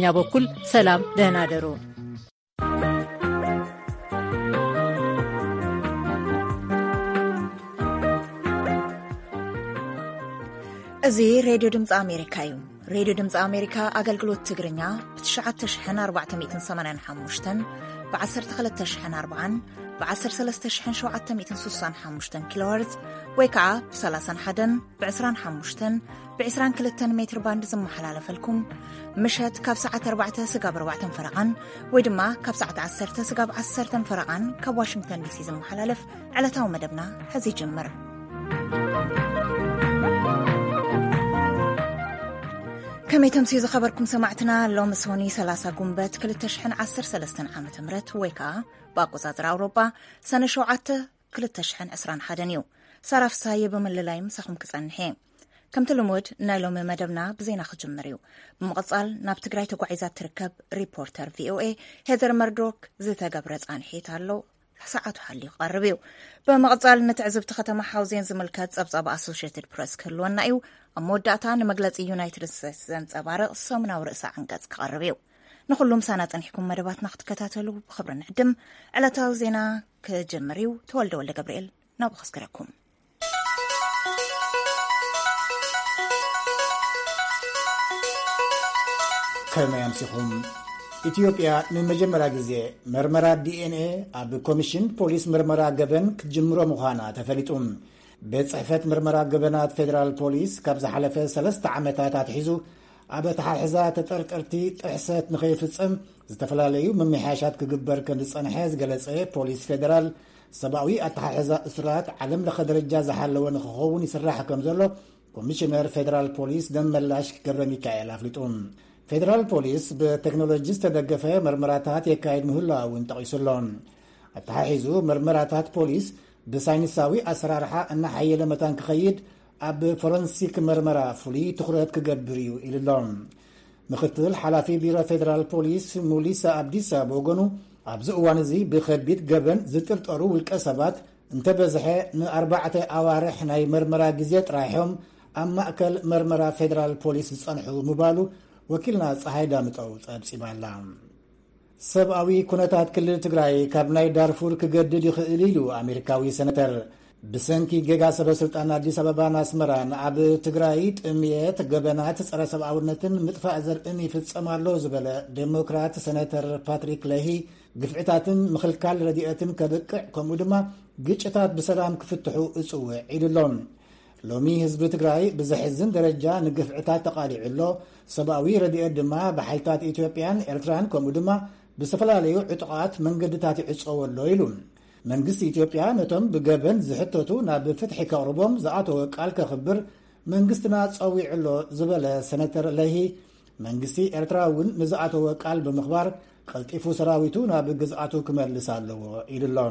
እኛ በኩል ሰላም፣ ደህና ደሩ። እዚ ሬድዮ ድምፂ ኣሜሪካ እዩ። ሬድዮ ድምፂ ኣሜሪካ ኣገልግሎት ትግርኛ ብ ትሽዓተ ሽሕን ኣርባዕተ ሚእትን ሰማንያን ሓሙሽተን፣ ብ ዓሰርተ ክልተ ሽሕን ኣርባዓን፣ ብ ዓሰርተ ሰለስተ ሽሕን ሸውዓተ ሚእትን ስሳን ሓሙሽተን ኪሎ ሄርዝ ወይ ከዓ ብ ሰላሳን ሓደን፣ ብ ዕስራን ሓሙሽተን፣ ብ ዕስራን ክልተን ሜትር ባንድ ዝመሓላለፈልኩም ምሸት ካብ ሰዓት ኣርባዕተ ስጋብ ኣርባዕተን ፈረቓን ወይ ድማ ካብ ሰዓት ዓሰርተ ስጋብ ዓሰርተን ፈረቓን ካብ ዋሽንግተን ዲሲ ዝመሓላለፍ ዕለታዊ መደብና ሕዚ ይጅምር። ከመይ ተምስዩ ዝኸበርኩም ሰማዕትና፣ ሎሚ ሶኒ ሰላሳ ጉንበት ክልተ ሽሕን ዓሰርተ ሰለስተን ዓመተ ምህረት ወይ ከዓ ብኣቆጻጽራ ኣውሮጳ ሰነ ሸውዓተ ክልተ ሽሕን ዕስራን ሓደን እዩ። ሳራ ፍሳየ ብምልላይ ምሳኹም ክጸንሕ እየ። ከምቲ ልሙድ ናይ ሎሚ መደብና ብዜና ክጅምር እዩ። ብምቕጻል ናብ ትግራይ ተጓዒዛ ትርከብ ሪፖርተር ቪኦኤ ሄዘር መርዶክ ዝተገብረ ጻንሒት ኣሎ። ሰዓቱ ሓልዩ ክቐርብ እዩ። ብምቕጻል ንትዕዝብቲ ከተማ ሓውዜን ዝምልከት ጸብጻብ ኣሶሽየትድ ፕረስ ክህልወና እዩ። ኣብ መወዳእታ ንመግለጺ ዩናይትድ ስቴትስ ዘንጸባርቕ ሰሙናዊ ርእሰ ዓንቀጽ ክቐርብ እዩ። ንኹሉ ምሳና ጸኒሕኩም መደባትና ክትከታተሉ ብኽብሪ ንዕድም። ዕለታዊ ዜና ክጅምር እዩ። ተወልደ ወልደ ገብርኤል ናብኡ ከስግረኩም። ከመይ ኣምሲኹም? ኢትዮጵያ ንመጀመርያ ግዜ መርመራ ዲኤንኤ ኣብ ኮሚሽን ፖሊስ ምርመራ ገበን ክትጅምሮ ምዃና ተፈሊጡ። ቤት ጽሕፈት ምርመራ ገበናት ፌደራል ፖሊስ ካብ ዝሓለፈ ሰለስተ ዓመታት ኣትሒዙ ኣብ ኣተሓሕዛ ተጠርጠርቲ ጥሕሰት ንኸይፍጸም ዝተፈላለዩ ምምሕያሻት ክግበር ከም ዝጸንሐ ዝገለጸ ፖሊስ ፌደራል፣ ሰብኣዊ ኣተሓሕዛ እሱራት ዓለም ለኸ ደረጃ ዝሓለወ ንክኸውን ይስራሕ ከም ዘሎ ኮሚሽነር ፌደራል ፖሊስ ደመላሽ ገብረ ሚካኤል ኣፍሊጡ። ፌደራል ፖሊስ ብቴክኖሎጂ ዝተደገፈ መርመራታት የካይድ ምህላው እውን ጠቒሱ ኣሎ። ኣተሓሒዙ መርመራታት ፖሊስ ብሳይንሳዊ ኣሰራርሓ እናሓየለ መታን ክኸይድ ኣብ ፎረንሲክ መርመራ ፍሉይ ትኹረት ክገብር እዩ ኢሉ ኣሎ። ምክትል ሓላፊ ቢሮ ፌደራል ፖሊስ ሙሊሳ ኣብዲሳ ብወገኑ፣ ኣብዚ እዋን እዚ ብኸቢድ ገበን ዝጥርጠሩ ውልቀ ሰባት እንተበዝሐ ንኣርባዕተ ኣዋርሕ ናይ መርመራ ግዜ ጥራይ እዮም ኣብ ማእከል መርመራ ፌደራል ፖሊስ ዝጸንሑ ምባሉ ወኪልና ጸሃይ ዳምጠው ጸብጺባ ኣላ። ሰብኣዊ ኩነታት ክልል ትግራይ ካብ ናይ ዳርፉር ክገድድ ይኽእል ኢሉ ኣሜሪካዊ ሰነተር። ብሰንኪ ጌጋ ሰበ ስልጣን ኣዲስ ኣበባን ኣስመራን ኣብ ትግራይ ጥምየት፣ ገበናት ጸረ ሰብኣውነትን ምጥፋእ ዘርእን ይፍጸም ኣሎ ዝበለ ዴሞክራት ሰነተር ፓትሪክ ለሂ፣ ግፍዕታትን ምኽልካል ረድኤትን ከብቅዕ፣ ከምኡ ድማ ግጭታት ብሰላም ክፍትሑ እጽውዕ ኢሉ ኣሎ። ሎሚ ህዝቢ ትግራይ ብዘሕዝን ደረጃ ንግፍዕታት ተቓሊዑ ኣሎ። ሰብኣዊ ረድኤት ድማ ብሓይልታት ኢትዮጵያን ኤርትራን ከምኡ ድማ ብዝተፈላለዩ ዕጡቓት መንገድታት ይዕጸዎ ኣሎ ኢሉ። መንግስቲ ኢትዮጵያ ነቶም ብገበን ዝሕተቱ ናብ ፍትሒ ከቕርቦም ዝኣተወ ቃል ከኽብር መንግስትና ጸዊዑ ኣሎ ዝበለ ሰነተር ለሂ፣ መንግስቲ ኤርትራ እውን ንዝኣተወ ቃል ብምኽባር ቀልጢፉ ሰራዊቱ ናብ ግዝኣቱ ክመልስ ኣለዎ ኢሉ ኣሎ።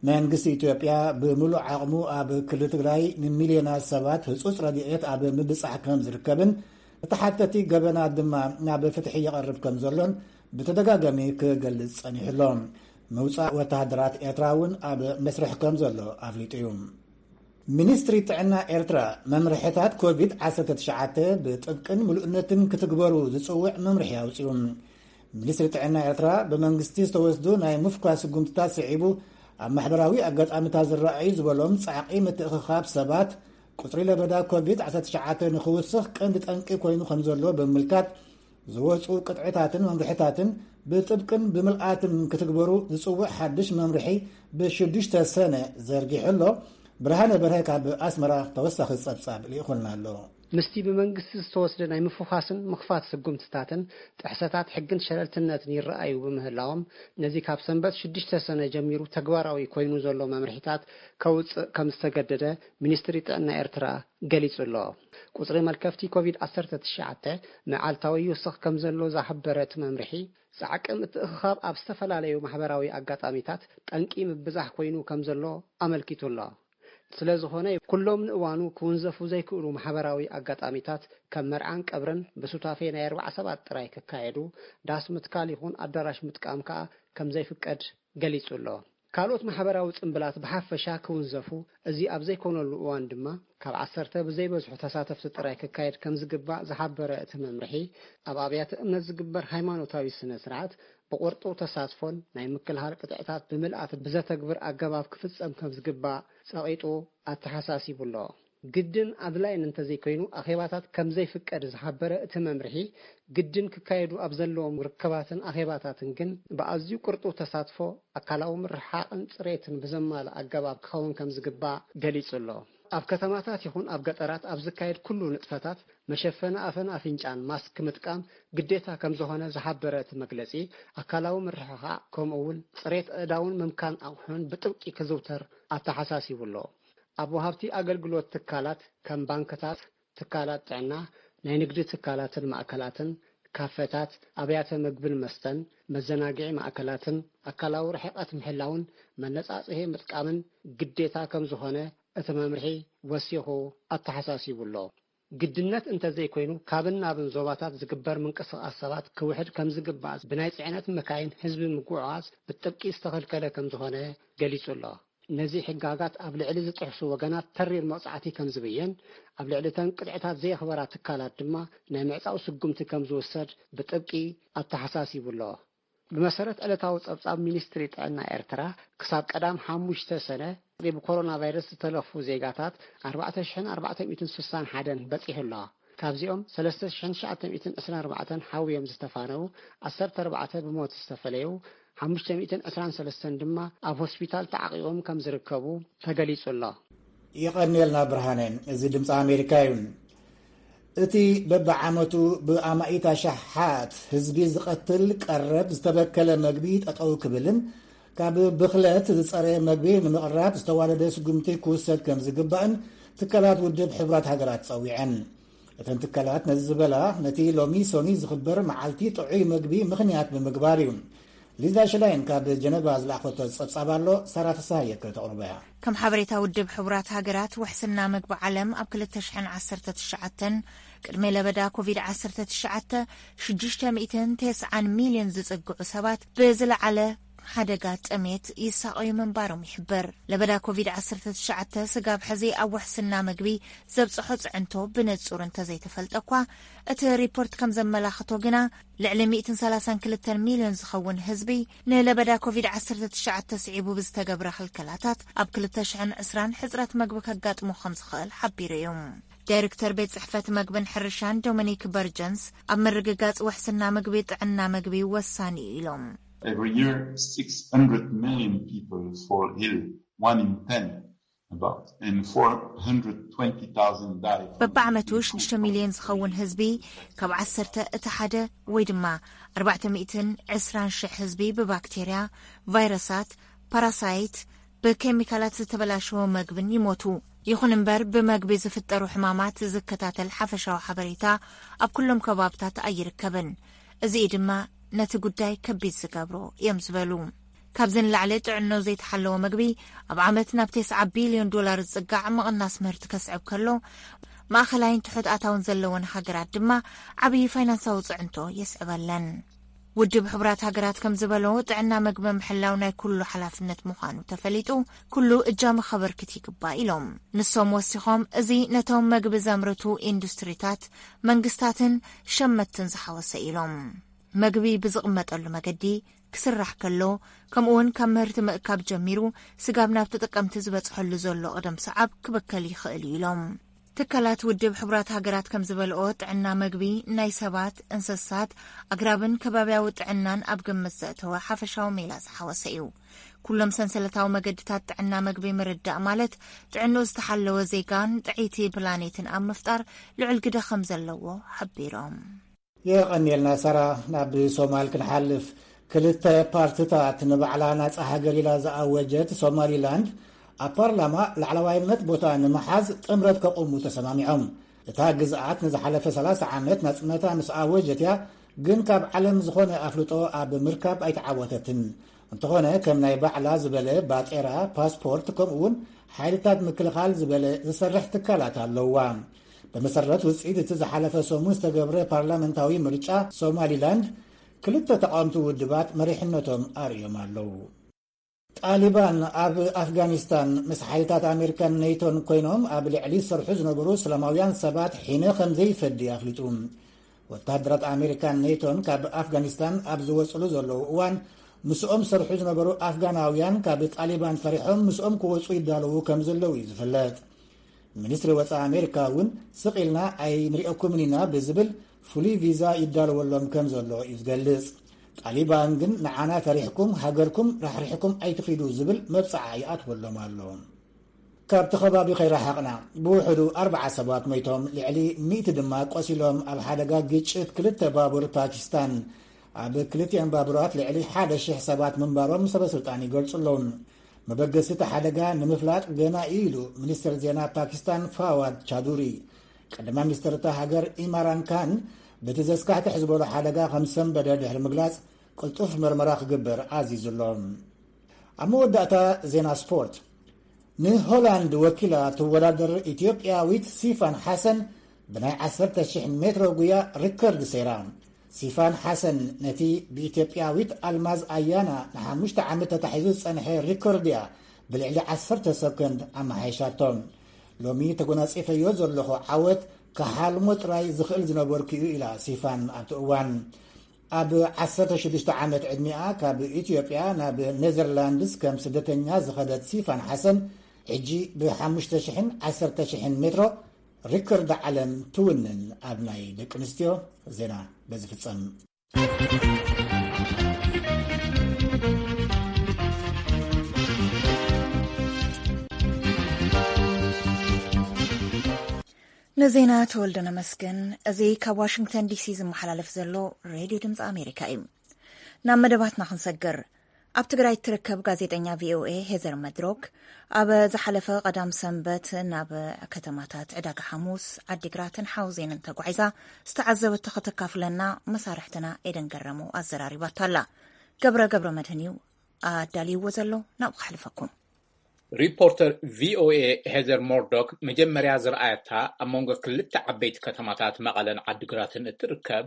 መንግስቲ ኢትዮጵያ ብምሉእ ዓቕሙ ኣብ ክልል ትግራይ ንሚልዮናት ሰባት ህጹጽ ረድኤት ኣብ ምብጻሕ ከም ዝርከብን፣ ተሓተቲ ገበናት ድማ ናብ ፍትሒ ይቐርብ ከም ዘሎን ብተደጋጋሚ ክገልጽ ጸኒሑ ኣሎ። ምውጻእ ወተሃደራት ኤርትራ እውን ኣብ መስርሕ ከም ዘሎ ኣፍሊጡ እዩ። ሚኒስትሪ ጥዕና ኤርትራ መምርሕታት ኮቪድ ዓሰርተ ትሽዓተ ብጥብቅን ምሉእነትን ክትግበሩ ዝጽውዕ መምርሒ ኣውጺኡ። ሚኒስትሪ ጥዕና ኤርትራ ብመንግስቲ ዝተወስዱ ናይ ምፍኳስ ስጉምትታት ስዒቡ ኣብ ማሕበራዊ ኣጋጣሚታት ዝረኣዩ ዝበሎም ጻዕቒ ምትእኽኻብ ሰባት ቁጽሪ ለበዳ ኮቪድ ዓሰርተ ትሽዓተ ንኽውስኽ ቀንዲ ጠንቂ ኮይኑ ከም ዘሎ ብምምልካት ዝወፁ ቅጥዕታትን መምርሕታትን ብጥብቅን ብምልኣትን ክትግበሩ ዝፅውዕ ሓድሽ መምርሒ ብሽዱሽተ ሰነ ዘርጊሑ ኣሎ። ብርሃነ በርሀ ካብ ኣስመራ ተወሳኺ ፀብፃብ ልኢኹልና ኣሎ። ምስቲ ብመንግስቲ ዝተወስደ ናይ ምፍዃስን ምኽፋት ስጉምትታትን ጥሕሰታት ሕግን ሸለልትነትን ይረኣዩ ብምህላዎም፣ ነዚ ካብ ሰንበት ሽዱሽተ ሰነ ጀሚሩ ተግባራዊ ኮይኑ ዘሎ መምርሒታት ከውፅእ ከም ዝተገደደ ሚኒስትሪ ጥዕና ኤርትራ ገሊጹ ኣሎ። ቁጽሪ መልከፍቲ ኮቪድ ዓሰርተ ትሽዓተ መዓልታዊ ይውስኽ ከም ዘሎ ዝሓበረ እቲ መምርሒ፣ ጻዕቂ ምትእኽኻብ ኣብ ዝተፈላለዩ ማሕበራዊ ኣጋጣሚታት ጠንቂ ምብዛሕ ኮይኑ ከም ዘሎ ኣመልኪቱ ኣሎ። ስለ ዝኾነ፣ ኩሎም ንእዋኑ ክውንዘፉ ዘይክእሉ ማሕበራዊ ኣጋጣሚታት ከም መርዓን ቀብርን ብሱታፌ ናይ ኣርባዓ ሰባት ጥራይ ክካየዱ፣ ዳስ ምትካል ይኹን ኣዳራሽ ምጥቃም ከኣ ከም ዘይፍቀድ ገሊጹ ኣሎ። ካልኦት ማሕበራዊ ጽምብላት ብሓፈሻ ክውንዘፉ፣ እዚ ኣብ ዘይኮነሉ እዋን ድማ ካብ ዓሰርተ ብዘይበዝሑ ተሳተፍቲ ጥራይ ክካየድ ከም ዝግባእ ዝሓበረ እቲ መምርሒ፣ ኣብ ኣብያተ እምነት ዝግበር ሃይማኖታዊ ስነ ስርዓት ብቑርጡ ተሳትፎን ናይ ምክልኻል ቅጥዕታት ብምልኣት ብዘተግብር ኣገባብ ክፍጸም ከም ዝግባእ ጸቒጡ ኣተሓሳሲቡ ኣሎ። ግድን ኣድላይን እንተዘይኮይኑ ኣኼባታት ከም ዘይፍቀድ ዝሓበረ እቲ መምርሒ፣ ግድን ክካየዱ ኣብ ዘለዎም ርክባትን ኣኼባታትን ግን ብኣዝዩ ቅርጡው ተሳትፎ፣ ኣካላዊ ምርሓቕን ጽሬትን ብዘማልእ ኣገባብ ክኸውን ከም ዝግባእ ገሊጹ ኣሎ። ኣብ ከተማታት ይኹን ኣብ ገጠራት ኣብ ዝካየድ ኩሉ ንጥፈታት መሸፈኒ ኣፍን ኣፍንጫን ማስክ ምጥቃም ግዴታ ከም ዝኾነ ዝሓበረ እቲ መግለጺ፣ ኣካላዊ ምርሕሓቕ ከምኡ እውን ጽሬት ኣእዳውን ምምካን ኣቑሑን ብጥብቂ ክዝውተር ኣተሓሳሲቡ ኣሎ። ኣብ ወሃብቲ ኣገልግሎት ትካላት ከም ባንክታት፣ ትካላት ጥዕና፣ ናይ ንግዲ ትካላትን ማእከላትን፣ ካፈታት፣ ኣብያተ ምግብን መስተን፣ መዘናግዒ ማእከላትን ኣካላዊ ርሕቀት ምሕላውን መነጻጽሄ ምጥቃምን ግዴታ ከም ዝኾነ እቲ መምርሒ ወሲኹ ኣተሓሳሲቡ ኣሎ። ግድነት እንተዘይኮይኑ፣ ካብን ናብን ዞባታት ዝግበር ምንቅስቓስ ሰባት ክውሕድ ከም ዝግባእ፣ ብናይ ጽዕነት መካይን ህዝቢ ምጉዕዓዝ ብጥብቂ ዝተኸልከለ ከም ዝኾነ ገሊጹ ኣሎ። ነዚ ሕጋጋት ኣብ ልዕሊ ዝጥሕሱ ወገናት ተሪር መቕጻዕቲ ከም ዝብየን፣ ኣብ ልዕሊ እተን ቅጥዕታት ዘየኽበራ ትካላት ድማ ናይ ምዕጻው ስጉምቲ ከም ዝውሰድ ብጥብቂ ኣተሓሳሲቡ ኣሎ። ብመሰረት ዕለታዊ ጸብጻብ ሚኒስትሪ ጥዕና ኤርትራ፣ ክሳብ ቀዳም ሓሙሽተ ሰነ ብኮሮና ቫይረስ ዝተለኽፉ ዜጋታት ኣርባዕተ ሽሕን ኣርባዕተ ሚእትን ስሳን ሓደን በጺሑ ኣሎ። ካብዚኦም ሰለስተ ሽሕን ትሽዓተ ሚእትን ዕስራን ኣርባዕተን ሓውዮም ዝተፋነው፣ ዓሰርተ ኣርባዕተ ብሞት ዝተፈለዩ፣ ሓሙሽተ ሚእትን ዕስራን ሰለስተን ድማ ኣብ ሆስፒታል ተዓቂቦም ከም ዝርከቡ ተገሊጹ ኣሎ። የቐንየልና ብርሃነ። እዚ ድምፂ ኣሜሪካ እዩ። እቲ በብዓመቱ ብኣማኢት ኣሽሓት ህዝቢ ዝቐትል ቀረብ ዝተበከለ መግቢ ጠጠው ክብልን ካብ ብኽለት ዝፀረ መግቢ ንምቕራብ ዝተዋደደ ስጉምቲ ክውሰድ ከም ዝግባእን ትካላት ውድብ ሕቡራት ሃገራት ጸዊዐን። እተን ትካላት ነዚ ዝበላ፣ ነቲ ሎሚ ሶኒ ዝኽበር መዓልቲ ጥዑይ መግቢ ምኽንያት ብምግባር እዩ። ሊዛ ሽላይን ካብ ጀነቫ ዝለኣኸቶ ጸብጻብ ኣሎ፣ ሳራ ፍስሃየ ከተቕርቦ እያ። ከም ሓበሬታ ውድብ ሕቡራት ሃገራት፣ ውሕስና መግቢ ዓለም ኣብ ክልተ ሽሕን ዓሰርተ ትሽዓተን፣ ቅድሚ ለበዳ ኮቪድ ዓሰርተ ትሽዓተ፣ ሽዱሽተ ሚእትን ተስዓን ሚልዮን ዝጽግዑ ሰባት ብዝለዓለ ሓደጋ ጥሜት ይሳቐዩ ምንባሮም ይሕበር። ለበዳ ኮቪድ ዓሰርተ ትሽዓተ ስጋብ ሕዚ ኣብ ውሕስና መግቢ ዘብጽሖ ጽዕንቶ ብንጹር እንተዘይተፈልጠ እኳ፣ እቲ ሪፖርት ከም ዘመላኽቶ ግና፣ ልዕሊ ሚእትን ሰላሳን ክልተን ሚልዮን ዝኸውን ህዝቢ ንለበዳ ኮቪድ ዓሰርተ ትሽዓተ ስዒቡ ብዝተገብረ ክልከላታት ኣብ ክልተ ሽሕን ዕስራን ሕጽረት መግቢ ከጋጥሞ ከም ዝኽእል ሓቢሩ እዩ። ዳይሬክተር ቤት ጽሕፈት መግብን ሕርሻን ዶሚኒክ በርጀንስ፣ ኣብ ምርግጋጽ ውሕስና መግቢ ጥዕና መግቢ ወሳኒ እዩ ኢሎም። Every year, six hundred million people fall ill, one in ten, about, and four hundred twenty thousand die from በብዓመቱ ሽዱሽተ ሚልዮን ዝኸውን ህዝቢ፣ ካብ ዓሰርተ እቲ ሓደ ወይ ድማ ኣርባዕተ ሚእትን ዕስራን ሽሕ ህዝቢ ብባክቴርያ፣ ቫይረሳት፣ ፓራሳይት፣ ብኬሚካላት ዝተበላሸወ መግብን ይሞቱ። ይኹን እምበር፣ ብመግቢ ዝፍጠሩ ሕማማት ዝከታተል ሓፈሻዊ ሓበሬታ ኣብ ኩሎም ከባብታት ኣይርከብን። እዚ እዩ ድማ ነቲ ጉዳይ ከቢድ ዝገብሮ እዮም ዝበሉ። ካብዚ ንላዕሊ፣ ጥዕንኡ ዘይተሓለወ መግቢ ኣብ ዓመት ናብ ተስዓ ቢልዮን ዶላር ዝጽጋዕ ምቕናስ ምህርቲ ከስዕብ ከሎ፣ ማእኸላይን ትሑት ኣታውን ዘለወን ሃገራት ድማ ዓብዪ ፋይናንሳዊ ጽዕንቶ የስዕበለን። ውድብ ሕቡራት ሃገራት ከም ዝበሎ፣ ጥዕና መግቢ ምሕላው ናይ ኩሉ ሓላፍነት ምዃኑ ተፈሊጡ፣ ኩሉ እጃሙ ከበርክት ይግባእ ኢሎም። ንሶም ወሲኾም፣ እዚ ነቶም መግቢ ዘምርቱ ኢንዱስትሪታት፣ መንግስታትን ሸመትን ዝሓወሰ ኢሎም። መግቢ ብዝቕመጠሉ መገዲ ክስራሕ ከሎ፣ ከምኡውን ካብ ምህርቲ ምእካብ ጀሚሩ ስጋብ ናብ ተጠቀምቲ ዝበጽሐሉ ዘሎ ቅደም ሰዓብ ክብከል ይኽእል እዩ ኢሎም። ትካላት ውድብ ሕቡራት ሃገራት ከም ዝበልኦ፣ ጥዕና መግቢ ናይ ሰባት፣ እንስሳት፣ ኣግራብን ከባብያዊ ጥዕናን ኣብ ግምት ዘእተወ ሓፈሻዊ ሜላ ዝሓወሰ እዩ። ኩሎም ሰንሰለታዊ መገድታት ጥዕና መግቢ ምርዳእ ማለት፣ ጥዕንኡ ዝተሓለወ ዜጋን ጥዕይቲ ፕላኔትን ኣብ ምፍጣር ልዑል ግደ ከም ዘለዎ ሓቢሮም። የቐንየልና ሳራ። ናብ ሶማል ክንሓልፍ፣ ክልተ ፓርትታት ንባዕላ ናጻ ሃገር ኢላ ዝኣወጀት ሶማሊላንድ፣ ኣብ ፓርላማ ላዕለዋይነት ቦታ ንምሓዝ ጥምረት ከቑሙ ተሰማሚዖም። እታ ግዝኣት ንዝሓለፈ ሰላሳ ዓመት ናጽነታ ምስ ኣወጀት እያ፣ ግን ካብ ዓለም ዝኾነ ኣፍልጦ ኣብ ምርካብ ኣይተዓወተትን። እንተኾነ፣ ከም ናይ ባዕላ ዝበለ ባጤራ፣ ፓስፖርት፣ ከምኡውን ሓይልታት ምክልኻል ዝበለ ዝሰርሕ ትካላት ኣለዋ። ብመሰረት ውጽኢት እቲ ዝሓለፈ ሰሙን ዝተገብረ ፓርላመንታዊ ምርጫ፣ ሶማሊላንድ ክልተ ተቓወምቲ ውድባት መሪሕነቶም ኣርእዮም ኣለዉ። ጣሊባን ኣብ ኣፍጋኒስታን ምስ ሓይልታት ኣሜሪካን ኔቶን ኮይኖም ኣብ ልዕሊ ዝሰርሑ ዝነበሩ ሰላማውያን ሰባት ሒነ ከም ዘይፈዲ ኣፍሊጡ። ወተሃደራት ኣሜሪካን ኔቶን ካብ ኣፍጋኒስታን ኣብ ዝወፅሉ ዘለዉ እዋን ምስኦም ዝሰርሑ ዝነበሩ ኣፍጋናውያን ካብ ጣሊባን ፈሪሖም ምስኦም ክወፁ ይዳለዉ ከም ዘለዉ እዩ ዝፍለጥ። ሚኒስትሪ ወፃኢ ኣሜሪካ እውን ስቕ ኢልና ኣይንሪኦኩምን ኢና ብዝብል ፍሉይ ቪዛ ይዳለወሎም ከም ዘሎ እዩ ዝገልጽ። ጣሊባን ግን ንዓና ፈሪሕኩም ሃገርኩም ራሕሪሕኩም ኣይትኺዱ ዝብል መብፅዓ ይኣትወሎም ኣሎ። ካብቲ ከባቢ ከይረሓቕና ብውሕዱ ኣርባዓ ሰባት ሞይቶም ልዕሊ ሚእቲ ድማ ቆሲሎም ኣብ ሓደጋ ግጭት ክልተ ባቡር ፓኪስታን ኣብ ክልቲኦም ባቡራት ልዕሊ ሓደ ሽሕ ሰባት ምንባሮም ሰበ ስልጣን ይገልጹ ኣለዉ። መበገሲ እቲ ሓደጋ ንምፍላጥ ገና እዩ ኢሉ ሚኒስትር ዜና ፓኪስታን ፋዋድ ቻዱሪ። ቀዳማይ ሚኒስትር እታ ሃገር ኢማራን ካን በቲ ዘስካሕክሕ ዝበሎ ሓደጋ ከም ሰንበደ ድሕሪ ምግላጽ ቅልጡፍ መርመራ ክግበር ኣዚዙ ኣሎ። ኣብ መወዳእታ ዜና ስፖርት። ንሆላንድ ወኪላ ትወዳደር ኢትዮጵያዊት ሲፋን ሓሰን ብናይ ዓሰርተ ሽሕ ሜትሮ ጉያ ሪከርድ ሰይራ። ሲፋን ሓሰን ነቲ ብኢትዮጵያዊት ኣልማዝ ኣያና ንሓሙሽተ ዓመት ተታሒዙ ዝጸንሐ ሪከርድ እያ ብልዕሊ ዓሰርተ ሰኮንድ ኣመሓይሻቶ። ሎሚ ተጎናጺፈዮ ዘለኹ ዓወት ክሓልሞ ጥራይ ዝኽእል ዝነበርኩ እዩ ኢላ ሲፋን ኣብቲ እዋን። ኣብ ዓሰርተ ሽዱሽተ ዓመት ዕድሚኣ ካብ ኢትዮጵያ ናብ ኔዘርላንድስ ከም ስደተኛ ዝኸደት ሲፋን ሓሰን ሕጂ ብ ሓሙሽተ ሽሕን ዓሰርተ ሽሕን ሜትሮ ሪከርድ ዓለም ትውንን። ኣብ ናይ ደቂ ኣንስትዮ ዜና በዚ ፍጸም። ንዜና ተወልደ ነመስገን። እዚ ካብ ዋሽንግተን ዲሲ ዝመሓላለፍ ዘሎ ሬድዮ ድምፂ ኣሜሪካ እዩ። ናብ መደባትና ክንሰግር። ኣብ ትግራይ እትርከብ ጋዜጠኛ ቪኦኤ ሄዘር መድሮክ ኣብ ዝሓለፈ ቀዳም ሰንበት ናብ ከተማታት ዕዳጋ ሓሙስ፣ ዓዲግራትን ሓውዜንን ተጓዒዛ ዝተዓዘበቶ ከተካፍለና መሳርሕትና ኤደን ገረመው ኣዘራሪባታ ኣላ። ገብረ ገብረ መድህን እዩ ኣዳልይዎ ዘሎ፣ ናብኡ ከሕልፈኩም። ሪፖርተር ቪኦኤ ሄዘር ሞርዶክ መጀመርያ ዝረኣየታ ኣብ መንጎ ክልተ ዓበይቲ ከተማታት መቐለን ዓዲግራትን እትርከብ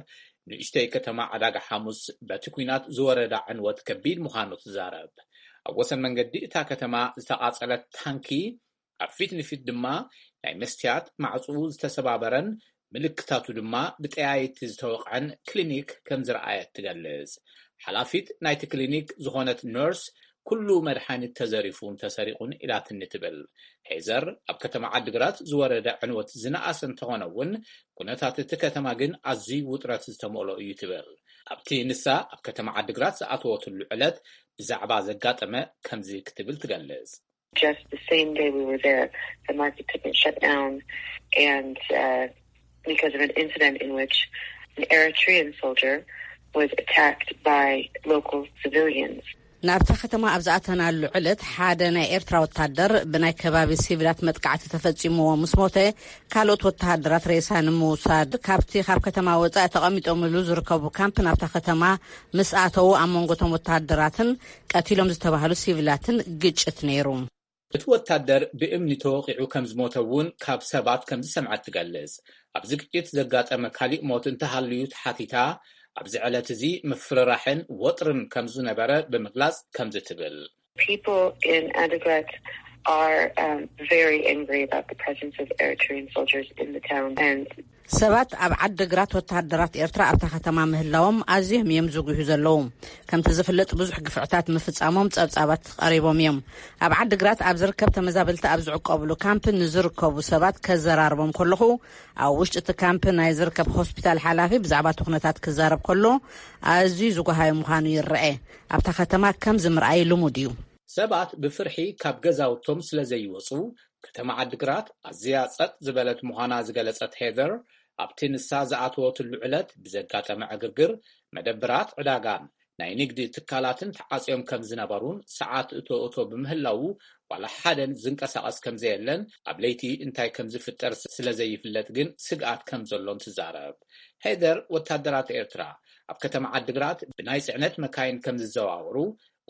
ንእሽተይ ከተማ ዕዳጋ ሓሙስ በቲ ኲናት ዝወረዳ ዕንወት ከቢድ ምዃኑ ትዛረብ። ኣብ ወሰን መንገዲ እታ ከተማ ዝተቓጸለት ታንኪ፣ ኣብ ፊት ንፊት ድማ ናይ መስትያት ማዕጽኡ ዝተሰባበረን ምልክታቱ ድማ ብጠያይቲ ዝተወቕዐን ክሊኒክ ከም ዝረኣየት ትገልጽ። ሓላፊት ናይቲ ክሊኒክ ዝኾነት ነርስ፣ "ኩሉ መድሓኒት ተዘሪፉን ተሰሪቑን" ኢላትኒ ትብል። ሄዘር፣ ኣብ ከተማ ዓዲግራት ዝወረደ ዕንወት ዝነኣሰ እንተኾነ እውን፣ ኩነታት እቲ ከተማ ግን ኣዝዩ ውጥረት ዝተመልኦ እዩ ትብል። ኣብቲ ንሳ ኣብ ከተማ ዓዲግራት ዝኣተወትሉ ዕለት ብዛዕባ ዘጋጠመ ከምዚ ክትብል ትገልጽ። Just the same day we were there, the market took a shutdown, and uh, because of an incident in which an Eritrean soldier was attacked by local civilians. ናብታ ከተማ ኣብ ዝኣተናሉ ዕለት ሓደ ናይ ኤርትራ ወታደር ብናይ ከባቢ ሲቪላት መጥቃዕቲ ተፈጺምዎ ምስ ሞተ፣ ካልኦት ወተሃደራት ሬሳ ንምውሳድ ካብቲ ካብ ከተማ ወጻኢ ተቐሚጦምሉ ዝርከቡ ካምፕ ናብታ ከተማ ምስ ኣተዉ፣ ኣብ መንጎ እቶም ወተሃደራትን ቀቲሎም ዝተባህሉ ሲቪላትን ግጭት ነይሩ። እቲ ወታደር ብእምኒ ተወቒዑ ከም ዝሞተ እውን ካብ ሰባት ከም ዝሰምዐት ትገልጽ። ኣብዚ ግጭት ዘጋጠመ ካሊእ ሞት እንተሃልዩ ተሓቲታ፣ ኣብዚ ዕለት እዚ ምፍርራሕን ወጥርን ከም ዝነበረ ብምግላጽ ከምዚ ትብል። People in Adigrat are um, very angry about the presence of Eritrean soldiers in the town, and ሰባት ኣብ ዓዲግራት ወተሃደራት ኤርትራ ኣብታ ከተማ ምህላዎም ኣዝዮም እዮም ዝጉሁ ዘለዉ። ከምቲ ዝፍለጥ ብዙሕ ግፍዕታት ምፍጻሞም ጸብጻባት ቀሪቦም እዮም። ኣብ ዓዲግራት ኣብ ዝርከብ ተመዛበልቲ ኣብ ዝዕቆብሉ ካምፕ ንዝርከቡ ሰባት ከዘራርቦም ከለኹ፣ ኣብ ውሽጢ እቲ ካምፕ ናይ ዝርከብ ሆስፒታል ሓላፊ ብዛዕባ እቲ ኩነታት ክዛረብ ከሎ ኣዝዩ ዝጓሃየ ምዃኑ ይረአ። ኣብታ ከተማ ከምዚ ምርኣይ ልሙድ እዩ። ሰባት ብፍርሒ ካብ ገዛውቶም ስለ ዘይወጹ፣ ከተማ ዓዲግራት ኣዝያ ጸጥ ዝበለት ምዃና ዝገለጸት ሄዘር፣ ኣብቲ ንሳ ዝኣተወትሉ ዕለት ብዘጋጠመ ዕግርግር፣ መደብራት ዕዳጋን ናይ ንግዲ ትካላትን ተዓጽዮም ከም ዝነበሩን፣ ሰዓት እቶ እቶ ብምህላዉ ዋላ ሓደን ዝንቀሳቐስ ከም ዘየለን፣ ኣብ ለይቲ እንታይ ከም ዝፍጠር ስለ ዘይፍለጥ ግን ስግኣት ከም ዘሎን ትዛረብ። ሄዘር፣ ወታደራት ኤርትራ ኣብ ከተማ ዓዲግራት ብናይ ጽዕነት መካይን ከም ዝዘዋወሩ፣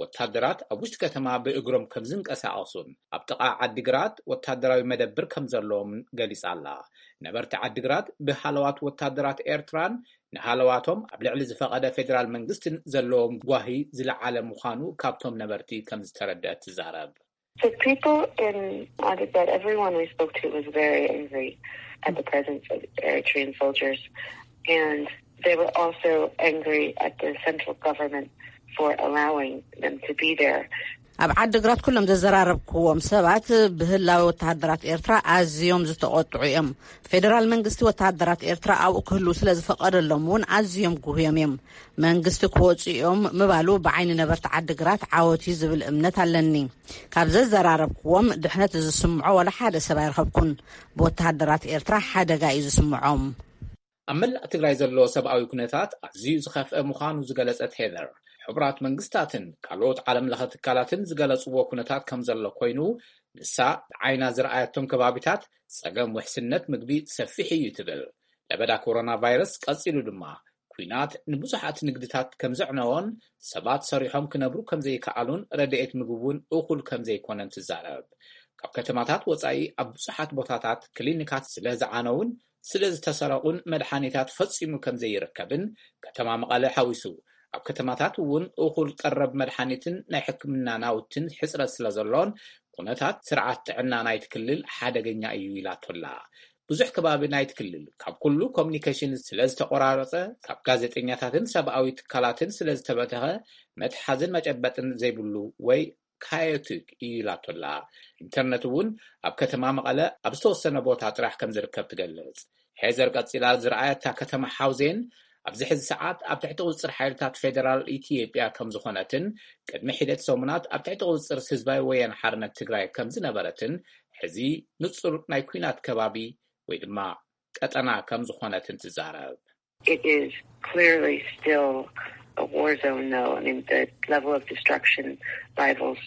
ወታደራት ኣብ ውሽጢ ከተማ ብእግሮም ከም ዝንቀሳቐሱን ኣብ ጥቓ ዓዲግራት ወታደራዊ መደብር ከም ዘለዎም ገሊጻ ኣላ። ነበርቲ ዓዲግራት ብሃለዋት ወታደራት ኤርትራን ንሃለዋቶም ኣብ ልዕሊ ዝፈቐደ ፌደራል መንግስትን ዘለዎም ጓሂ ዝለዓለ ምዃኑ ካብቶም ነበርቲ ከም ዝተረድአ ትዛረብ። The people in Adigrat, everyone we spoke to was very angry at the presence of Eritrean soldiers, and they were also angry at the central government for allowing them to be there. ኣብ ዓድግራት ኩሎም ዘዘራረብክዎም ሰባት ብህላዊ ወተሃደራት ኤርትራ ኣዝዮም ዝተቆጥዑ እዮም። ፌደራል መንግስቲ ወተሃደራት ኤርትራ ኣብኡ ክህልው ስለ ዝፈቀደሎም እውን ኣዝዮም ጉህዮም እዮም። መንግስቲ ክወፁ እዮም ምባሉ ብዓይኒ ነበርቲ ዓድግራት ዓወት እዩ ዝብል እምነት ኣለኒ። ካብ ዘዘራረብክዎም ድሕነት ዝስምዖ ዋላ ሓደ ሰብ ኣይረኸብኩን። ብወተሃደራት ኤርትራ ሓደጋ እዩ ዝስምዖም። ኣብ መላእ ትግራይ ዘሎ ሰብኣዊ ኩነታት ኣዝዩ ዝኸፍአ ምዃኑ ዝገለጸት ሄዘር፣ ሕቡራት መንግስታትን ካልኦት ዓለም ለኸ ትካላትን ዝገለጽዎ ኩነታት ከም ዘሎ ኮይኑ፣ ንሳ ብዓይና ዝረኣየቶም ከባቢታት ጸገም ውሕስነት ምግቢ ሰፊሕ እዩ ትብል። ለበዳ ኮሮና ቫይረስ ቀጺሉ ድማ፣ ኲናት ንብዙሓት ንግድታት ከም ዘዕነዎን ሰባት ሰሪሖም ክነብሩ ከም ዘይከኣሉን ረድኤት ምግቢ እውን እኹል ከም ዘይኮነን ትዛረብ። ካብ ከተማታት ወጻኢ ኣብ ብዙሓት ቦታታት ክሊኒካት ስለ ዝዓነውን ስለ ዝተሰረቑን መድሓኒታት ፈጺሙ ከም ዘይርከብን፣ ከተማ መቐለ ሓዊሱ ኣብ ከተማታት እውን እኹል ቀረብ መድሓኒትን ናይ ሕክምና ናውትን ሕጽረት ስለ ዘሎን፣ ኩነታት ስርዓት ጥዕና ናይቲ ክልል ሓደገኛ እዩ ኢላቶላ። ብዙሕ ከባቢ ናይቲ ክልል ካብ ኩሉ ኮሙኒኬሽን ስለ ዝተቆራረጸ፣ ካብ ጋዜጠኛታትን ሰብኣዊ ትካላትን ስለ ዝተበተኸ፣ መትሓዝን መጨበጥን ዘይብሉ ወይ ካዮቲክ እዩ ኢላቶላ። ኢንተርነት እውን ኣብ ከተማ መቐለ ኣብ ዝተወሰነ ቦታ ጥራሕ ከም ዝርከብ ትገልጽ። ሄዘር ቀጺላ ዝረኣየታ ከተማ ሓውዜን ኣብዚ ሕዚ ሰዓት ኣብ ትሕቲ ቁጽጽር ሓይልታት ፌደራል ኢትዮጵያ ከም ዝኾነትን፣ ቅድሚ ሒደት ሰሙናት ኣብ ትሕቲ ቁጽጽር ህዝባዊ ወያነ ሓርነት ትግራይ ከም ዝነበረትን፣ ሕዚ ንጹር ናይ ኲናት ከባቢ ወይ ድማ ቀጠና ከም ዝኾነትን ትዛረብ። It is clearly still a war zone, though. I mean, the level of destruction rivals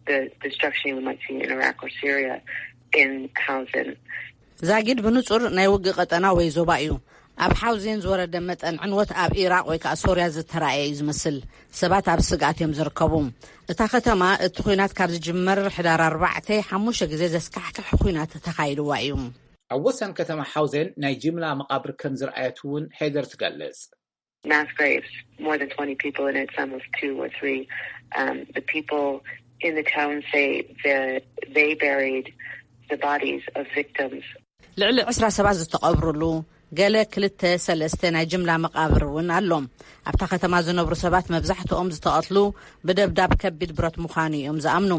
the destruction we might see in Iraq or Syria in Hausen. ዛጊድ ብንጹር ናይ ውግእ ቀጠና ወይ ዞባ እዩ። ኣብ ሓውዜን ዝወረደ መጠን ዕንወት ኣብ ኢራቅ ወይ ከዓ ሶርያ ዝተራእየ እዩ ዝመስል። ሰባት ኣብ ስግኣት እዮም ዝርከቡ። እታ ከተማ እቲ ኲናት ካብ ዝጅመር ሕዳር ኣርባዕተ ሓሙሽተ ግዜ ዘስካሕክሕ ኲናት ተኻይድዋ እዩ። ኣብ ወሰን ከተማ ሓውዜን ናይ ጅምላ መቓብር ከም ዝረኣየት እውን ሄደር ትገልጽ። Mass graves, more than twenty people in it, some with two or three. Um, the people in the town say that they buried the bodies of victims. ልዕሊ ዕስራ ሰባት ዝተቐብሩሉ፣ ገለ ክልተ ሰለስተ ናይ ጅምላ መቓብር እውን ኣሎ። ኣብታ ከተማ ዝነብሩ ሰባት መብዛሕትኦም ዝተቐትሉ ብደብዳብ ከቢድ ብረት ምዃኑ እዮም ዝኣምኑ።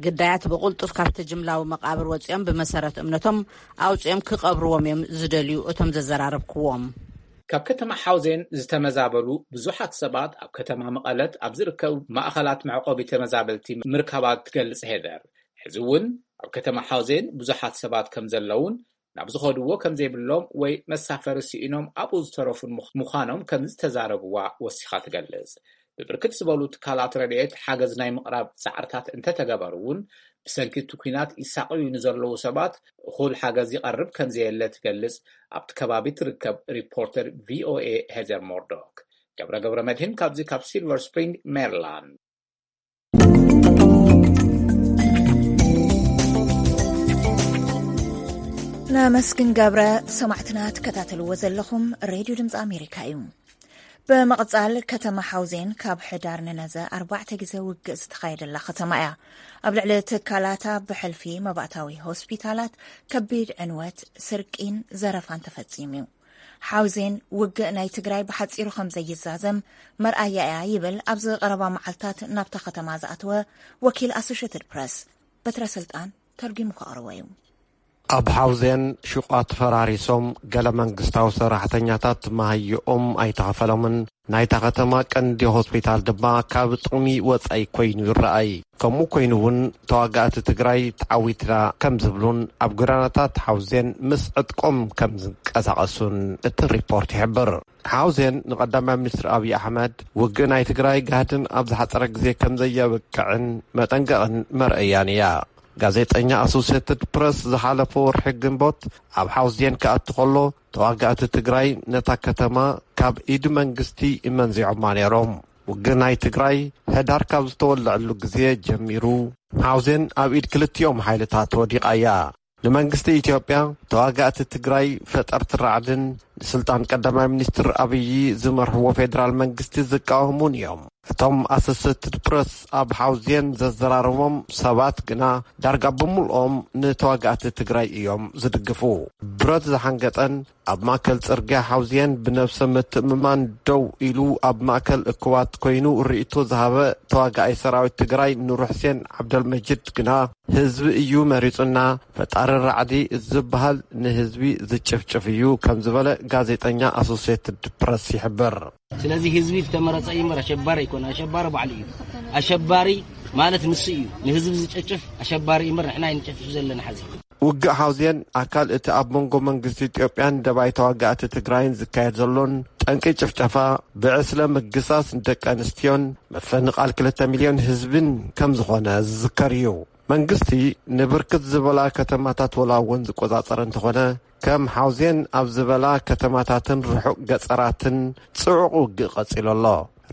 ግዳያት ብቕልጡፍ ካብቲ ጅምላዊ መቓብር ወፂኦም ብመሰረት እምነቶም ኣውፂኦም ክቐብርዎም እዮም ዝደልዩ እቶም ዘዘራረብክዎም። ካብ ከተማ ሓውዜን ዝተመዛበሉ ብዙሓት ሰባት ኣብ ከተማ መቐለት ኣብ ዝርከቡ ማእኸላት መዕቆቢ ተመዛበልቲ ምርካባት ትገልጽ ሄደር፣ ሕዚ እውን ኣብ ከተማ ሓውዜን ብዙሓት ሰባት ከም ዘለውን ናብ ዝኸድዎ ከም ዘይብሎም ወይ መሳፈሪ ስኢኖም ኣብኡ ዝተረፉን ምዃኖም ከም ዝተዛረብዋ ወሲኻ ትገልጽ። ብብርክት ዝበሉ ትካላት ረድኤት ሓገዝ ናይ ምቕራብ ጻዕርታት እንተተገበሩ እውን፣ ብሰንኪ እቲ ኲናት ይሳቐዩ ንዘለዉ ሰባት እኹል ሓገዝ ይቐርብ ከም ዘየለ ትገልጽ ኣብቲ ከባቢ ትርከብ ሪፖርተር ቪኦኤ ሄዘር ሞርዶክ። ገብረ ገብረ መድህን ካብዚ ካብ ሲልቨር ስፕሪንግ ሜሪላንድ። ነመስግን ገብረ። ሰማዕትና ትከታተልዎ ዘለኹም ሬድዮ ድምፂ ኣሜሪካ እዩ። ብምቕጻል ከተማ ሓውዜን ካብ ሕዳር ንነዘ ኣርባዕተ ግዜ ውግእ ዝተኻየደላ ከተማ እያ። ኣብ ልዕሊ ትካላታ ብሕልፊ መባእታዊ ሆስፒታላት ከቢድ ዕንወት፣ ስርቂን ዘረፋን ተፈጺሙ እዩ። ሓውዜን ውግእ ናይ ትግራይ ብሓጺሩ ከም ዘይዛዘም መርኣያ እያ ይብል ኣብዚ ቀረባ መዓልታት ናብታ ከተማ ዝኣተወ ወኪል ኣሶሽትድ ፕረስ በትረ ስልጣን ተርጒሙ ከቕርቦ እዩ። ኣብ ሓውዜን ሹቓት ፈራሪሶም፣ ገለ መንግስታዊ ሰራሕተኛታት መሃይኦም ኣይተኸፈሎምን። ናይታ ከተማ ቀንዲ ሆስፒታል ድማ ካብ ጥቕሚ ወጻኢ ኮይኑ ይረኣይ። ከምኡ ኮይኑ እውን ተዋጋእቲ ትግራይ ተዓዊትና ከም ዝብሉን ኣብ ጎዳናታት ሓውዜን ምስ ዕጥቆም ከም ዝንቀሳቐሱን እቲ ሪፖርት ይሕብር። ሓውዜን ንቀዳማይ ሚኒስትር ኣብይ ኣሕመድ ውግእ ናይ ትግራይ ጋህድን ኣብ ዝሓጸረ ግዜ ከም ዘየብቅዕን መጠንቀቕን መርኣያን እያ። ጋዜጠኛ ኣሶሴትድ ፕረስ ዝሓለፈ ወርሒ ግንቦት ኣብ ሓውዜን ክኣቱ ከሎ፣ ተዋጋእቲ ትግራይ ነታ ከተማ ካብ ኢድ መንግስቲ መንዚዖማ ነይሮም። ውግእ ናይ ትግራይ ሕዳር ካብ ዝተወለዐሉ ግዜ ጀሚሩ፣ ሓውዜን ኣብ ኢድ ክልቲኦም ሓይልታት ወዲቓ እያ። ንመንግስቲ ኢትዮጵያ፣ ተዋጋእቲ ትግራይ ፈጠርቲ ራዕድን ንስልጣን ቀዳማይ ሚኒስትር ኣብይ ዝመርሕዎ ፌዴራል መንግስቲ ዝቃወሙን እዮም። እቶም ኣሶሴትድ ፕረስ ኣብ ሓውዜን ዘዘራረቦም ሰባት ግና፣ ዳርጋ ብምልኦም ንተዋጋእቲ ትግራይ እዮም ዝድግፉ። ብረት ዝሓንገጠን ኣብ ማእከል ጽርግያ ሓውዜን ብነብሰ ምትእምማን ደው ኢሉ፣ ኣብ ማእከል እኩባት ኮይኑ ርእይቶ ዝሃበ ተዋጋኣይ ሰራዊት ትግራይ ኑርሕሴን ዓብደልመጂድ ግና፣ ህዝቢ እዩ መሪጹና፣ ፈጣሪ ራዕዲ ዝበሃል ንህዝቢ ዝጭፍጭፍ እዩ ከም ዝበለ ጋዜጠኛ ኣሶሴትድ ፕረስ ይሕብር። ስለዚ ህዝቢ ዝተመረጸ እዩ እምበር ኣሸባሪ ኣይኮነ። ኣሸባሪ ባዕሉ እዩ። ኣሸባሪ ማለት ንሱ እዩ። ንህዝቢ ዝጨጭፍ ኣሸባሪ እዩ እምበር ንሕና ኣይንጨፍፍ ዘለና። ሓዚ ውግእ ሓውዜን ኣካል እቲ ኣብ መንጎ መንግስቲ ኢትዮጵያን ደባይ ተዋጋእቲ ትግራይን ዝካየድ ዘሎን ጠንቂ ጭፍጨፋ፣ ብዕስለ ምግሳስ ንደቂ ኣንስትዮን ምፍንቓል ክልተ ሚልዮን ህዝብን ከም ዝኾነ ዝዝከር እዩ። መንግስቲ ንብርክት ዝበላ ከተማታት ወላ እውን ዝቆጻጸረ እንተኾነ፣ ከም ሓውዜን ኣብ ዝበላ ከተማታትን ርሑቕ ገጸራትን ጽዑቕ ውግእ ቀጺሉ ኣሎ።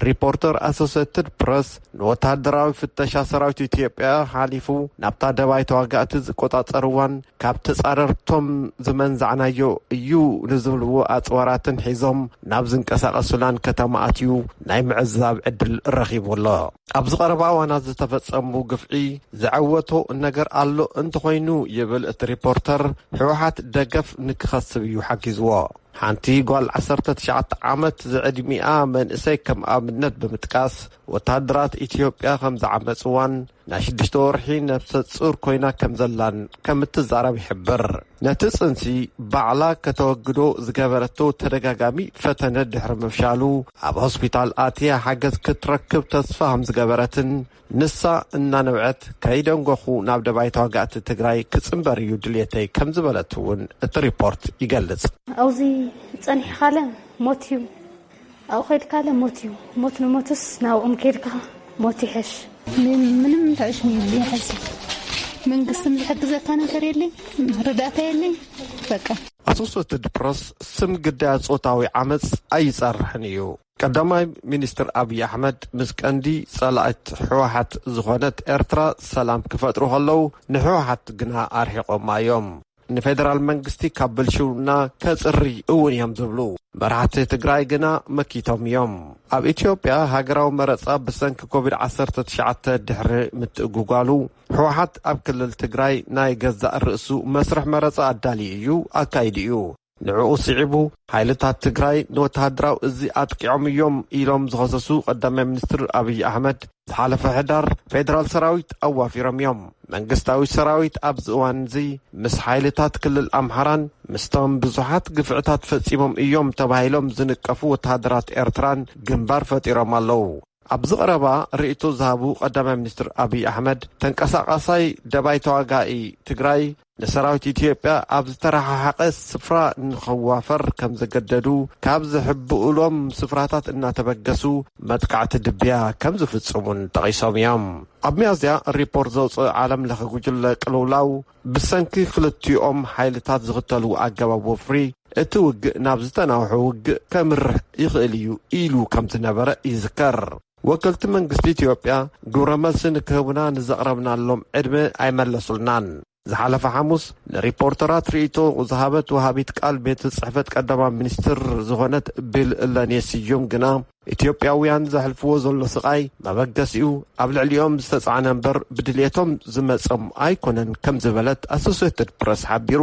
ሪፖርተር ኣሶሴትድ ፕረስ ንወተሃደራዊ ፍተሻ ሰራዊት ኢትዮጵያ ሓሊፉ ናብታ ደባይ ተዋጋእቲ ዝቆጻጸርዋን ካብ ተጻረርቶም ዝመንዛዕናዮ እዩ ንዝብልዎ ኣጽዋራትን ሒዞም ናብ ዝንቀሳቐሱላን ከተማ ኣትዩ ናይ ምዕዛብ ዕድል ረኺቡ ኣሎ። ኣብዚ ቀረባ እዋናት ዝተፈጸሙ ግፍዒ ዘዐወቶ ነገር ኣሎ እንተኾይኑ፣ ይብል እቲ ሪፖርተር፣ ህወሓት ደገፍ ንክኸስብ እዩ ሓጊዝዎ። ሓንቲ ጓል ዓሰርተ ትሽዓተ ዓመት ዝዕድሚኣ መንእሰይ ከም ኣብነት ብምጥቃስ፣ ወታደራት ኢትዮጵያ ከም ዝዓመጽዋን ናይ ሽዱሽተ ወርሒ ነብሰ ጹር ኮይና ከም ዘላን ከም እትዛረብ ይሕብር። ነቲ ጽንሲ ባዕላ ከተወግዶ ዝገበረቶ ተደጋጋሚ ፈተነ ድሕሪ ምፍሻሉ፣ ኣብ ሆስፒታል ኣትያ ሓገዝ ክትረክብ ተስፋ ከም ዝገበረትን፣ ንሳ እናነብዐት፣ "ከይደንጎኹ ናብ ደባይ ተዋጋእቲ ትግራይ ክጽንበር እዩ ድልየተይ" ከም ዝበለት እውን እቲ ሪፖርት ይገልጽ። ኣብዚ ጸኒሕካለ ሞት እዩ፣ ኣብኡ ከይድካለ ሞት እዩ። ሞት ንሞትስ ናብኦም ከይድካ ሞት ይሐሽ። ምን-፣ ምንም ተዕሽኒ የለኝ ሐዚ። መንግስትም ዝሕግዘካ ነገር የለኝ፣ ርዳእታ የለኝ። በቃ። ኣሶሴትድ ፕረስ ስም ግዳያት ጾታዊ ዓመጽ ኣይጸርሕን እዩ። ቀዳማይ ሚኒስትር ኣብይ ኣሕመድ ምስ ቀንዲ ጸላእት ህወሓት ዝኾነት ኤርትራ ሰላም ክፈጥሩ ከለዉ፣ ንህወሓት ግና ኣርሒቖማ እዮም። ንፌደራል መንግስቲ ካብ ብልሽውና ከጽሪ እውን እዮም ዝብሉ መራሕቲ ትግራይ ግና መኪቶም እዮም። ኣብ ኢትዮጵያ ሃገራዊ መረጻ ብሰንኪ ኮቪድ ዓሰርተ ትሽዓተ ድሕሪ ምትእጉጓሉ፣ ህወሓት ኣብ ክልል ትግራይ ናይ ገዛእ ርእሱ መስርሕ መረጻ ኣዳልዩ እዩ፣ ኣካይዱ እዩ። ንዕኡ ስዒቡ፣ ሓይልታት ትግራይ ንወተሃደራዊ እዚ ኣጥቂዖም እዮም ኢሎም ዝኸሰሱ ቀዳማይ ሚኒስትር ኣብይ ኣሕመድ፣ ዝሓለፈ ሕዳር ፌደራል ሰራዊት ኣዋፊሮም እዮም። መንግስታዊ ሰራዊት ኣብዚ እዋን እዚ ምስ ሓይልታት ክልል ኣምሓራን ምስቶም ብዙሓት ግፍዕታት ፈጺሞም እዮም ተባሂሎም ዝንቀፉ ወተሃደራት ኤርትራን ግንባር ፈጢሮም ኣለዉ። ኣብዚ ቀረባ ርእይቶ ዝሃቡ ቀዳማይ ሚኒስትር ኣብይ ኣሕመድ፣ ተንቀሳቓሳይ ደባይ ተዋጋኢ ትግራይ ንሰራዊት ኢትዮጵያ ኣብ ዝተረሓሓቐ ስፍራ ንኸዋፈር ከም ዘገደዱ፣ ካብ ዝሕብኡሎም ስፍራታት እናተበገሱ መጥቃዕቲ ድብያ ከም ዝፍጽሙን ጠቒሶም እዮም። ኣብ ሚያዝያ ሪፖርት ዘውፅእ ዓለም ለኸ ጉጅለ ቅልውላው፣ ብሰንኪ ክልቲኦም ሓይልታት ዝኽተልዎ ኣገባብ ወፍሪ፣ እቲ ውግእ ናብ ዝተናውሐ ውግእ ከምርሕ ይኽእል እዩ ኢሉ ከም ዝነበረ ይዝከር። ወከልቲ መንግስቲ ኢትዮጵያ፣ ግብረ መልሲ ንክህቡና ንዘቕረብናሎም ዕድመ ኣይመለሱልናን። ዝሓለፈ ሓሙስ ንሪፖርተራት ርእይቶ ዝሃበት ወሃቢት ቃል ቤት ጽሕፈት ቀዳማይ ሚኒስትር ዝኾነት ቢል ለኔ ስዩም ግና፣ ኢትዮጵያውያን ዘሕልፍዎ ዘሎ ስቓይ መበገሲኡ ኣብ ልዕሊኦም ዝተጻዕነ እምበር ብድልየቶም ዝመጸም ኣይኮነን ከም ዝበለት ኣሶሴትድ ፕረስ ሓቢሩ።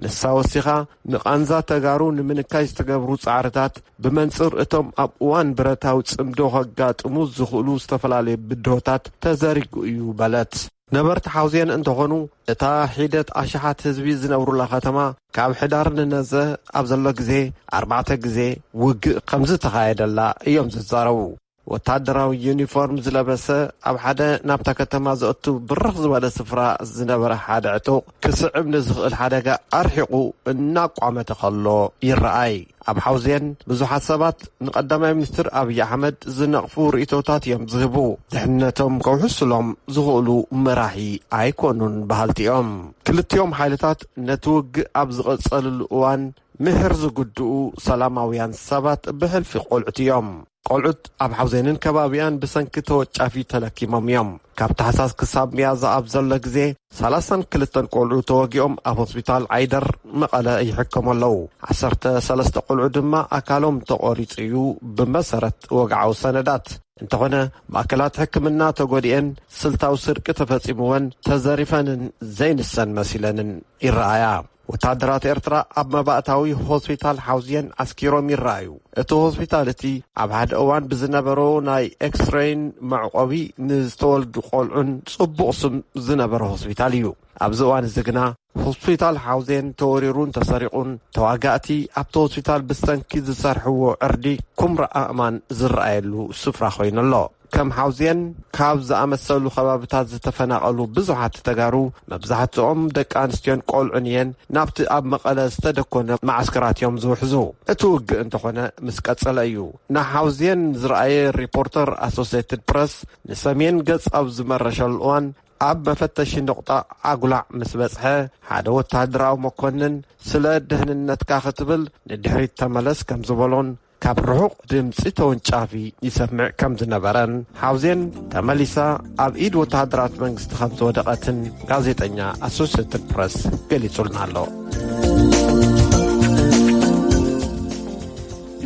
ንሳ ወሲኻ፣ ንቓንዛ ተጋሩ ንምንካይ ዝተገብሩ ጻዕርታት ብመንጽር እቶም ኣብ እዋን ብረታዊ ጽምዶ ከጋጥሙ ዝኽእሉ ዝተፈላለዩ ብድሆታት ተዘሪጉ እዩ በለት። ነበርቲ ሓውዜን እንተኾኑ፣ እታ ሒደት ኣሽሓት ህዝቢ ዝነብሩላ ከተማ ካብ ሕዳር ንነዘ ኣብ ዘሎ ግዜ ኣርባዕተ ግዜ ውግእ ከም ዝተኻየደላ እዮም ዝዛረቡ። ወታደራዊ ዩኒፎርም ዝለበሰ፣ ኣብ ሓደ ናብታ ከተማ ዘእቱ ብርኽ ዝበለ ስፍራ ዝነበረ ሓደ ዕጡቕ፣ ክስዕብ ንዝኽእል ሓደጋ ኣርሒቑ እናቋመተ ከሎ ይረኣይ። ኣብ ሓውዜን ብዙሓት ሰባት ንቀዳማይ ሚኒስትር ኣብይ ኣሕመድ ዝነቕፉ ርእይቶታት እዮም ዝህቡ። ድሕነቶም ከውሕሱሎም ዝኽእሉ መራሒ ኣይኮኑን በሃልቲ እዮም። ክልቲኦም ሓይልታት ነቲ ውግእ ኣብ ዝቐጸልሉ እዋን፣ ምሕር ዝግድኡ ሰላማውያን ሰባት ብሕልፊ ቆልዑት እዮም። ቆልዑት ኣብ ሓውዜንን ከባቢኣን ብሰንኪ ተወጫፊ ተለኪሞም እዮም። ካብ ታሕሳስ ክሳብ ሚያዝያ ኣብ ዘሎ ግዜ ሰላሳን ክልተን ቆልዑ ተወጊኦም ኣብ ሆስፒታል ዓይደር መቐለ ይሕከሙ ኣለዉ። ዓሰርተ ሰለስተ ቆልዑ ድማ ኣካሎም ተቖሪጹ እዩ፣ ብመሰረት ወግዓዊ ሰነዳት። እንተኾነ፣ ማእከላት ሕክምና ተጎዲኤን ስልታዊ ስርቂ ተፈጺምወን ተዘሪፈንን ዘይንሰን መሲለንን ይረኣያ። ወታደራት ኤርትራ ኣብ መባእታዊ ሆስፒታል ሓውዝየን ዓስኪሮም ይረኣዩ። እቲ ሆስፒታል እቲ ኣብ ሓደ እዋን ብዝነበሮ ናይ ኤክስሬይን መዕቆቢ ንዝተወልዱ ቆልዑን ጽቡቕ ስም ዝነበረ ሆስፒታል እዩ። ኣብዚ እዋን እዚ ግና ሆስፒታል ሓውዜን ተወሪሩን ተሰሪቑን፣ ተዋጋእቲ ኣብቲ ሆስፒታል ብሰንኪ ዝሰርሕዎ ዕርዲ ኩምራ ኣእማን ዝረኣየሉ ስፍራ ኮይኑ ኣሎ። ከም ሓውዜን ካብ ዝኣመሰሉ ከባብታት ዝተፈናቐሉ ብዙሓት ተጋሩ፣ መብዛሕትኦም ደቂ ኣንስትዮን ቆልዑን እየን፣ ናብቲ ኣብ መቐለ ዝተደኮነ መዓስከራት እዮም ዝውሕዙ። እቲ ውግእ እንተኾነ ምስ ቀጸለ እዩ። ንሓውዜን ዝረኣየ ሪፖርተር ኣሶሴትድ ፕረስ ንሰሜን ገጽ ኣብ ዝመረሸሉ እዋን፣ ኣብ መፈተሺ ነቑጣ ኣጉላዕ ምስ በጽሐ፣ ሓደ ወተሃደራዊ መኮንን ስለ ደህንነትካ ክትብል ንድሕሪት ተመለስ ከም ዝበሎን ካብ ርሑቕ ድምጺ ተወንጫፊ ይሰምዕ ከም ዝነበረን፣ ሓውዜን ተመሊሳ ኣብ ኢድ ወተሃደራት መንግስቲ ከም ዝወደቐትን ጋዜጠኛ ኣሶሴትድ ፕረስ ገሊጹልና ኣሎ።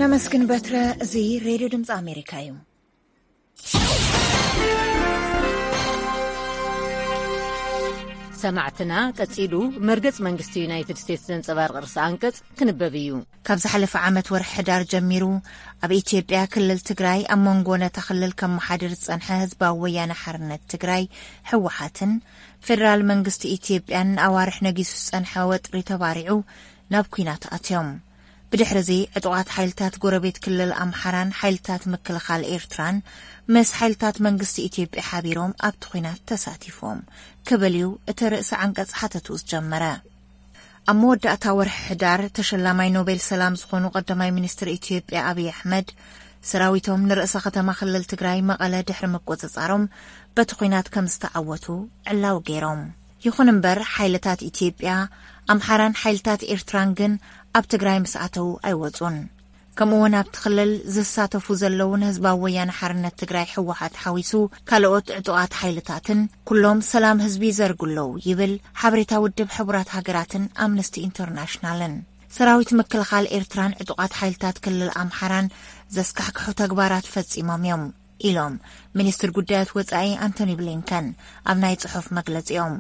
ነመስግን በትረ። እዚ ሬድዮ ድምፂ ኣሜሪካ እዩ። ሰማዕትና፣ ቀጺሉ መርገጽ መንግስቲ ዩናይትድ ስቴትስ ዘንጸባርቕ ርእሰ ኣንቀጽ ክንበብ እዩ። ካብ ዝሓለፈ ዓመት ወርሒ ሕዳር ጀሚሩ፣ ኣብ ኢትዮጵያ ክልል ትግራይ፣ ኣብ መንጎ ነታ ክልል ከመሓድር ዝጸንሐ ህዝባዊ ወያነ ሓርነት ትግራይ፣ ህወሓትን፣ ፌደራል መንግስቲ ኢትዮጵያን ንኣዋርሕ ነጊሱ ዝጸንሐ ወጥሪ ተባሪዑ ናብ ኲናት ኣትዮም። ብድሕሪ እዚ፣ ዕጡቓት ሓይልታት ጎረቤት ክልል ኣምሓራን ሓይልታት ምክልኻል ኤርትራን ምስ ሓይልታት መንግስቲ ኢትዮጵያ ሓቢሮም ኣብቲ ኲናት ተሳቲፎም ክብል እዩ እቲ ርእሰ ዓንቀጽ ሓተቱ ዝጀመረ። ኣብ መወዳእታ ወርሒ ሕዳር፣ ተሸላማይ ኖቤል ሰላም ዝኾኑ ቀዳማይ ሚኒስትር ኢትዮጵያ ኣብይ ኣሕመድ፣ ሰራዊቶም ንርእሰ ከተማ ክልል ትግራይ መቐለ ድሕሪ ምቁጽጻሮም፣ በቲ ኲናት ከም ዝተዓወቱ ዕላዊ ገይሮም። ይኹን እምበር፣ ሓይልታት ኢትዮጵያ፣ ኣምሓራን ሓይልታት ኤርትራን ግን ኣብ ትግራይ ምስ ኣተዉ ኣይወጹን። ከምኡ እውን ኣብቲ ክልል ዝሳተፉ ዘለዉ ንህዝባዊ ወያነ ሓርነት ትግራይ ህወሓት ሓዊሱ ካልኦት ዕጡቓት ሓይልታትን ኩሎም ሰላም ህዝቢ ይዘርጉ ኣለዉ ይብል ሓበሬታ ውድብ ሕቡራት ሃገራትን ኣምነስቲ ኢንተርናሽናልን። ሰራዊት ምክልኻል ኤርትራን ዕጡቓት ሓይልታት ክልል ኣምሓራን ዘስካሕክሑ ተግባራት ፈጺሞም እዮም ኢሎም ሚኒስትር ጉዳያት ወጻኢ ኣንቶኒ ብሊንከን ኣብ ናይ ጽሑፍ መግለጺኦም።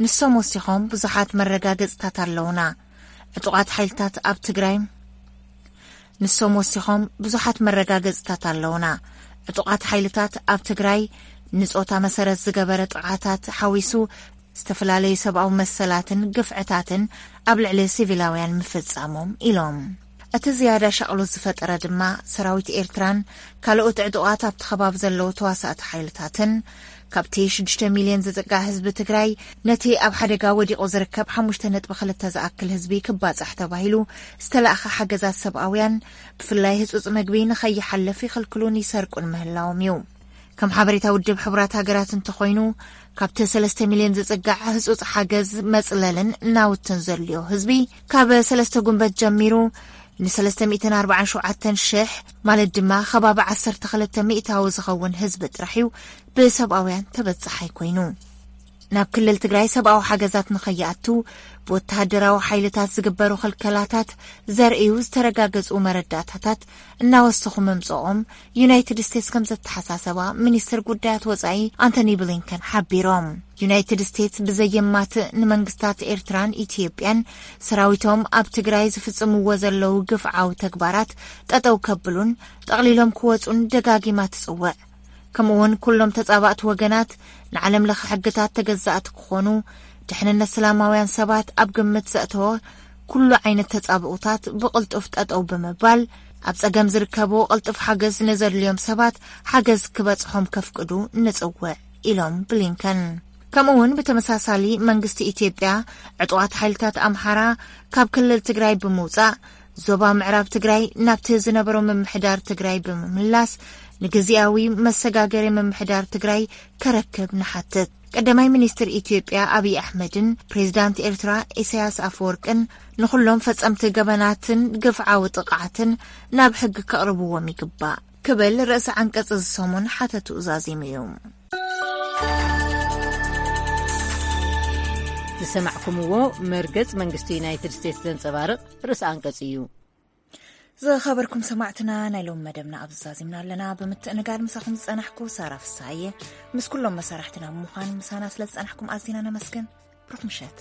ንሶም ወሲኾም ብዙሓት መረጋገጽታት ኣለውና። ዕጡቓት ሓይልታት ኣብ ትግራይ ንሶም ወሲኾም ብዙሓት መረጋገጽታት ኣለውና። ዕጡቓት ሓይልታት ኣብ ትግራይ ንጾታ መሰረት ዝገበረ ጥቕዓታት ሓዊሱ ዝተፈላለዩ ሰብኣዊ መሰላትን ግፍዕታትን ኣብ ልዕሊ ሲቪላውያን ምፍጻሞም ኢሎም። እቲ ዝያዳ ሻቕሎት ዝፈጠረ ድማ ሰራዊት ኤርትራን ካልኦት ዕጡቓት ኣብቲ ከባቢ ዘለዉ ተዋሳእቲ ሓይልታትን ካብቲ ሽዱሽተ ሚልዮን ዝጽጋዕ ህዝቢ ትግራይ ነቲ ኣብ ሓደጋ ወዲቑ ዝርከብ ሓሙሽተ ነጥቢ ክልተ ዝኣክል ህዝቢ ክባጻሕ ተባሂሉ ዝተላእኸ ሓገዛት ሰብኣውያን ብፍላይ ህጹጽ መግቢ ንኸይሓልፍ ይኽልክሉን ይሰርቁን ምህላዎም እዩ። ከም ሓበሬታ ውድብ ሕቡራት ሃገራት እንተኾይኑ፣ ካብቲ ሰለስተ ሚልዮን ዝጽጋዕ ህጹጽ ሓገዝ መጽለልን ናውትን ዘድልዮ ህዝቢ፣ ካብ ሰለስተ ጉንበት ጀሚሩ ንሰለስተ ሚእትን ኣርባዓን ሸውዓተን ሽሕ፣ ማለት ድማ ከባቢ ዓሰርተ ክልተ ሚእታዊ ዝኸውን ህዝቢ ጥራሕ እዩ ብሰብኣውያን ተበጻሓይ ኮይኑ። ናብ ክልል ትግራይ ሰብኣዊ ሓገዛት ንኸይኣቱ ብወተሃደራዊ ሓይልታት ዝግበሩ ክልከላታት ዘርእዩ ዝተረጋገጹ መረዳእታታት እናወሰኹ ምምጽኦም ዩናይትድ ስቴትስ ከም ዘተሓሳሰባ ሚኒስትር ጉዳያት ወጻኢ ኣንቶኒ ብሊንከን ሓቢሮም። ዩናይትድ ስቴትስ ብዘየማትእ ንመንግስታት ኤርትራን ኢትዮጵያን ሰራዊቶም ኣብ ትግራይ ዝፍጽምዎ ዘለዉ ግፍዓዊ ተግባራት ጠጠው ከብሉን ጠቕሊሎም ክወጹን ደጋጊማ ትጽውዕ። ከምኡውን ኩሎም ተጻባእቲ ወገናት ንዓለም ለኸ ሕግታት ተገዛእቲ ክኾኑ፣ ድሕንነት ሰላማውያን ሰባት ኣብ ግምት ዘእተወ ኩሉ ዓይነት ተጻብኡታት ብቕልጡፍ ጠጠው ብምባል፣ ኣብ ጸገም ዝርከቡ ቅልጡፍ ሓገዝ ንዘድልዮም ሰባት ሓገዝ ክበጽሖም ከፍቅዱ ንጽውዕ ኢሎም ብሊንከን። ከምኡውን ብተመሳሳሊ መንግስቲ ኢትዮጵያ ዕጡቓት ሓይልታት ኣምሓራ ካብ ክልል ትግራይ ብምውጻእ ዞባ ምዕራብ ትግራይ ናብቲ ዝነበሮ ምምሕዳር ትግራይ ብምምላስ ንግዜያዊ መሰጋገሪ ምምሕዳር ትግራይ ከረክብ ንሓትት። ቀዳማይ ሚኒስትር ኢትዮጵያ ኣብይ ኣሕመድን ፕሬዚዳንት ኤርትራ ኢሳያስ ኣፈወርቅን ንኹሎም ፈጸምቲ ገበናትን ግፍዓዊ ጥቕዓትን ናብ ሕጊ ከቕርብዎም ይግባእ ክብል ርእሲ ዓንቀጽ እዚ ሰሙን ሓተትኡ ዛዚሙ እዩ። ዝሰማዕኩምዎ መርገጽ መንግስቲ ዩናይትድ ስቴትስ ዘንጸባርቕ ርእሲ ኣንቀጽ እዩ። ዝኸበርኩም ሰማዕትና፣ ናይ ሎም መደብና ኣብዚ ዛዚምና ኣለና። ብምትእንጋድ ምሳኹም ዝጸናሕኩ ሳራ ፍስሃየ፣ ምስ ኩሎም መሳርሕትና ብምዃን ምሳና ስለ ዝጸናሕኩም ኣዝና ነመስግን። ብሩኽ ምሸት።